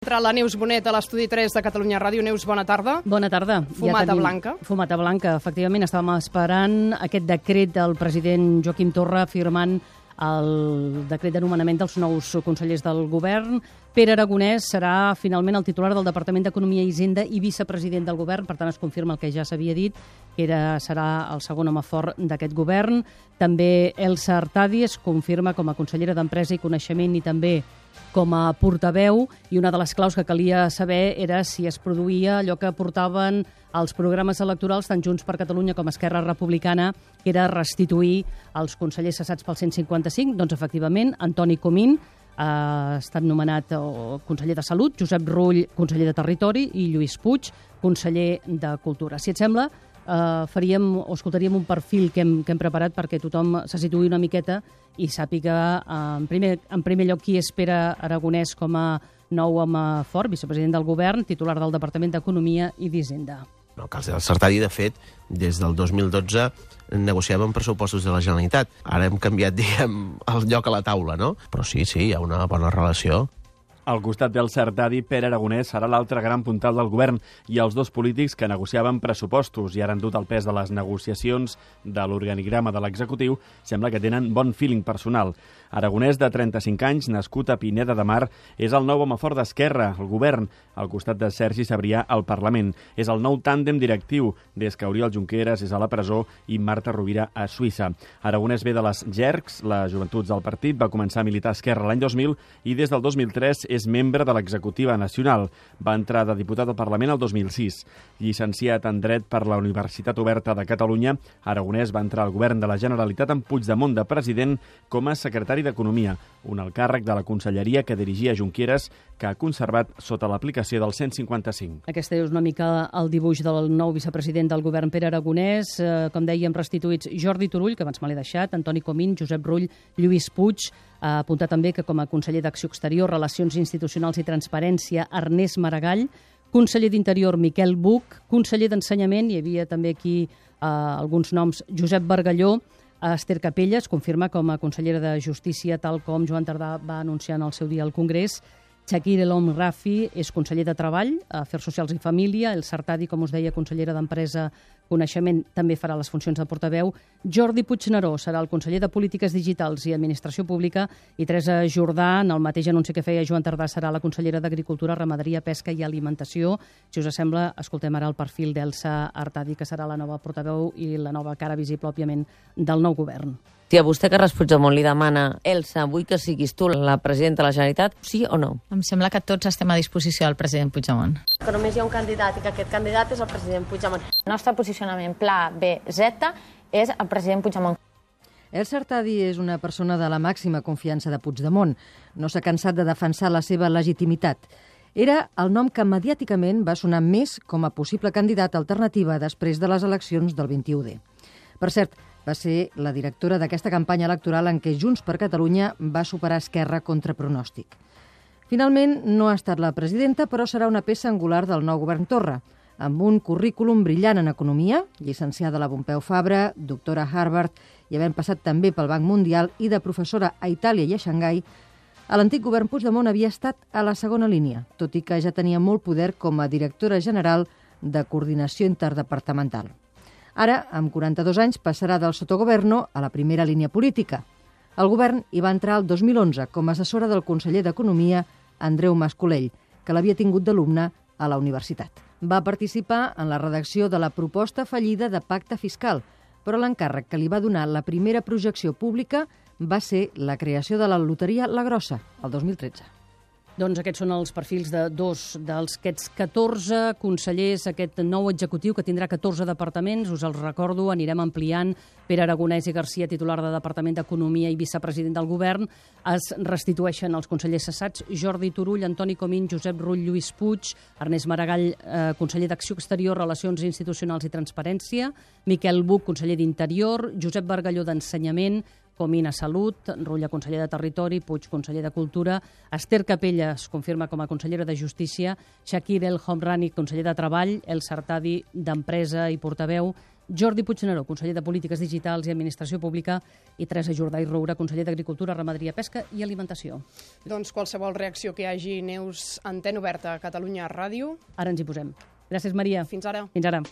Entra la Neus Bonet a l'Estudi 3 de Catalunya Ràdio. Neus, bona tarda. Bona tarda. Fumata blanca. Fumata blanca, efectivament. Estàvem esperant aquest decret del president Joaquim Torra firmant el decret de nomenament dels nous consellers del govern. Pere Aragonès serà finalment el titular del Departament d'Economia i Hisenda i vicepresident del govern. Per tant, es confirma el que ja s'havia dit, que serà el segon home fort d'aquest govern. També Elsa Artadi es confirma com a consellera d'Empresa i Coneixement i també com a portaveu, i una de les claus que calia saber era si es produïa allò que portaven els programes electorals tant Junts per Catalunya com Esquerra Republicana, que era restituir els consellers cessats pel 155. Doncs, efectivament, Antoni Comín ha estat nomenat conseller de Salut, Josep Rull, conseller de Territori, i Lluís Puig, conseller de Cultura. Si et sembla, escoltaríem un perfil que hem preparat perquè tothom se situï una miqueta i sàpiga en primer lloc qui és Pere Aragonès com a nou home fort, vicepresident del govern, titular del Departament d'Economia i d'Hisenda. El cas del Sartadi, de fet, des del 2012 negociàvem pressupostos de la Generalitat. Ara hem canviat, diguem, el lloc a la taula, no? Però sí, hi ha una bona relació. Al costat del Sartadi, Pere Aragonès serà l'altre gran puntal del govern i els dos polítics que negociaven pressupostos i ara han dut el pes de les negociacions de l'organigrama de l'executiu sembla que tenen bon feeling personal. Aragonès, de 35 anys, nascut a Pineda de Mar, és el nou home fort d'Esquerra, el govern, al costat de Sergi Sabrià al Parlament. És el nou tàndem directiu des que Oriol Junqueras és a la presó i Marta Rovira a Suïssa. Aragonès ve de les Jercs, les joventuts del partit, va començar a militar a Esquerra l'any 2000 i des del 2003 és membre de l'executiva nacional. Va entrar de diputat al Parlament el 2006. Llicenciat en Dret per la Universitat Oberta de Catalunya, Aragonès va entrar al govern de la Generalitat amb Puigdemont de president com a secretari d'Economia, un alt càrrec de la conselleria que dirigia Junqueras, que ha conservat sota l'aplicació del 155. Aquesta és una mica el dibuix del nou vicepresident del govern, Pere Aragonès. Com dèiem, restituïts Jordi Turull, que abans me l'he deixat, Antoni Comín, Josep Rull, Lluís Puig. Ha apuntat també que com a conseller d'Acció Exterior, Relacions Institucionals i Transparència, Ernest Maragall, conseller d'Interior, Miquel Buch, conseller d'Ensenyament, hi havia també aquí alguns noms, Josep Bargalló, Esther Capella es confirma com a consellera de Justícia, tal com Joan Tardà va anunciar en el seu dia al Congrés. Chakir El Om Rafi és conseller de Treball, Afers Socials i Família. El Sartadi, com us deia, consellera d'Empresa, Coneixement, també farà les funcions de portaveu. Jordi Puigneró serà el conseller de Polítiques Digitals i Administració Pública i Teresa Jordà, en el mateix anunci que feia Joan Tardà, serà la consellera d'Agricultura, Ramaderia, Pesca i Alimentació. Si us sembla, escoltem ara el perfil d'Elsa Artadi, que serà la nova portaveu i la nova cara visible, òbviament, del nou govern. Si a vostè, Carles Puigdemont, li demana Elsa, vull que siguis tu la presidenta de la Generalitat, sí o no? Em sembla que tots estem a disposició del president Puigdemont. Que només hi ha un candidat i que aquest candidat és el president Puigdemont. El nostre posicionament pla B, Z és el president Puigdemont. Elsa Artadi és una persona de la màxima confiança de Puigdemont. No s'ha cansat de defensar la seva legitimitat. Era el nom que mediàticament va sonar més com a possible candidat alternativa després de les eleccions del 21D. Per cert, va ser la directora d'aquesta campanya electoral en què Junts per Catalunya va superar Esquerra contra pronòstic. Finalment, no ha estat la presidenta, però serà una peça angular del nou govern Torra, amb un currículum brillant en economia, llicenciada a la Pompeu Fabra, doctora a Harvard i havent passat també pel Banc Mundial i de professora a Itàlia i a Xangai. A l'antic govern Puigdemont havia estat a la segona línia, tot i que ja tenia molt poder com a directora general de coordinació interdepartamental. Ara, amb 42 anys, passarà del sotogoverno a la primera línia política. El govern hi va entrar el 2011 com a assessora del conseller d'Economia, Andreu Mas-Colell, que l'havia tingut d'alumne a la universitat. Va participar en la redacció de la proposta fallida de pacte fiscal, però l'encàrrec que li va donar la primera projecció pública va ser la creació de la loteria La Grossa, el 2013. Doncs aquests són els perfils de dos d'aquests 14 consellers, aquest nou executiu que tindrà 14 departaments. Us els recordo, anirem ampliant. Pere Aragonès i Garcia, titular de Departament d'Economia i vicepresident del govern. Es restitueixen els consellers cessats: Jordi Turull, Antoni Comín, Josep Rull, Lluís Puig, Ernest Maragall, conseller d'Acció Exterior, Relacions Institucionals i Transparència, Miquel Buch, conseller d'Interior, Josep Bargalló d'Ensenyament, Comín a Salut, Rull, conseller de Territori, Puig, conseller de Cultura, Esther Capella es confirma com a consellera de Justícia, Chakir El Homrani, conseller de Treball, El Sartadi d'Empresa i portaveu, Jordi Puigneró, conseller de Polítiques Digitals i Administració Pública, i Teresa Jordà i Roura, conseller d'Agricultura, Ramaderia, Pesca i Alimentació. Doncs qualsevol reacció que hi hagi, Neus, antena oberta a Catalunya Ràdio. Ara ens hi posem. Gràcies, Maria. Fins ara. Fins ara.